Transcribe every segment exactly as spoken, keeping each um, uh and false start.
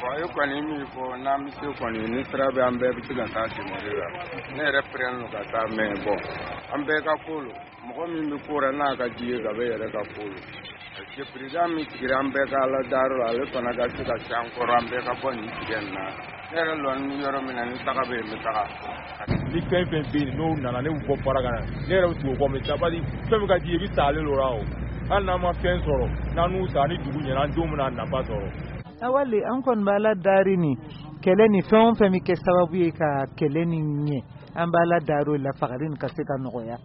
Bon, e kɔni min fɔ, n'an bɛ se kɔni, ni sira bɛ, an bɛɛ bɛ se ka taa dɛmɛ la. Ne yɛrɛ pɛrɛn ka taa, mais bon, an bɛɛ ka ko lo. Mɔgɔ min bɛ ko la, n'a ka di ye, ka bɛ yɛrɛ ka ko lo, parce que président min sigira, an bɛɛ ka Ala dayɔrɔ la, ale fana ka se ka se an kɔrɔ, an bɛɛ ka bɔ nin tigɛ nin na. Ne yɛrɛ lɔni yɔrɔ min na, ni taga bɛ yen, n bɛ taga. Ni fɛn fɛn bɛ yen, n'o nana, ne bɛ bɔ baara ka na, ne yɛrɛ bɛ tugu o kɔ, mais sabali, fɛn min ka di ye, i bɛ sa ale la. O hali n'an ma fɛn sɔrɔ, n'an n'u sa ni dugu ɲɛna, an denw bɛna nafa sɔrɔ. Awali, an kɔni b'a la dari ni kɛlɛ ni fɛn o fɛn bɛ kɛ sababu ye ka kɛlɛ ni ɲɛ, an b'a la dari o la, fagali nin ka se ka nɔgɔya.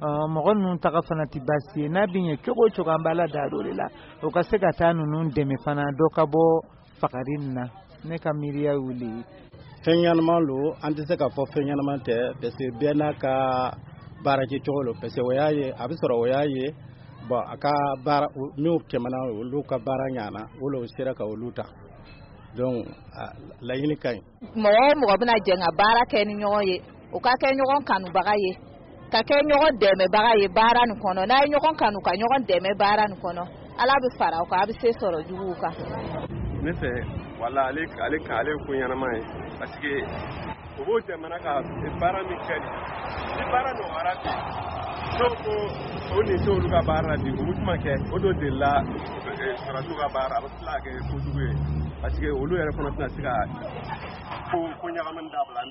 Mɔgɔ ninnu taga fana tɛ baasi ye. N'a bɛ ɲɛ cogo o cogo, an b'a la dari o de la, o ka se ka taa ninnu dɛmɛ fana, dɔ ka bɔ fagali nin na. Ne ka miiriya y'o de ye. Fɛn ɲɛnama lo, an tɛ se k'a fɔ fɛn ɲɛnama tɛ, parce que bɛɛ n'a ka baarakɛcogo lo, parce que o y'a ye a bɛ sɔrɔ, o y'a ye bon, a ka baara minnu tɛmɛna, olu ka baara ɲana, o la o sera ka olu ta. Donc laɲini ka ɲi. Mɔgɔ o mɔgɔ bɛna jɛ ka baara kɛ ni ɲɔgɔn ye, o ka kɛ ɲɔgɔn kanubaga ye, ka kɛ ɲɔgɔn dɛmɛbaga ye baara nin kɔnɔ. N'a ye ɲɔgɔn kanu, ka ɲɔgɔn dɛmɛ baara nin kɔnɔ, Ala bɛ fara aw kan, a bɛ se sɔrɔ juguw kan. Ne fɛ, wala, ale ale ka ale ko ɲɛnama ye, parce que o b'o jamana ka baara min kɛ, ni baara nɔgɔyara bi, n'o ko o nin t'olu ka baara la bi, o bɛ kuma kɛ o dɔ delila sɔrɔdasiw ka baara, a bɛ tila ka kɛ kojugu ye, parce que olu yɛrɛ fana tɛna se ka ko ko ɲagamini dabila.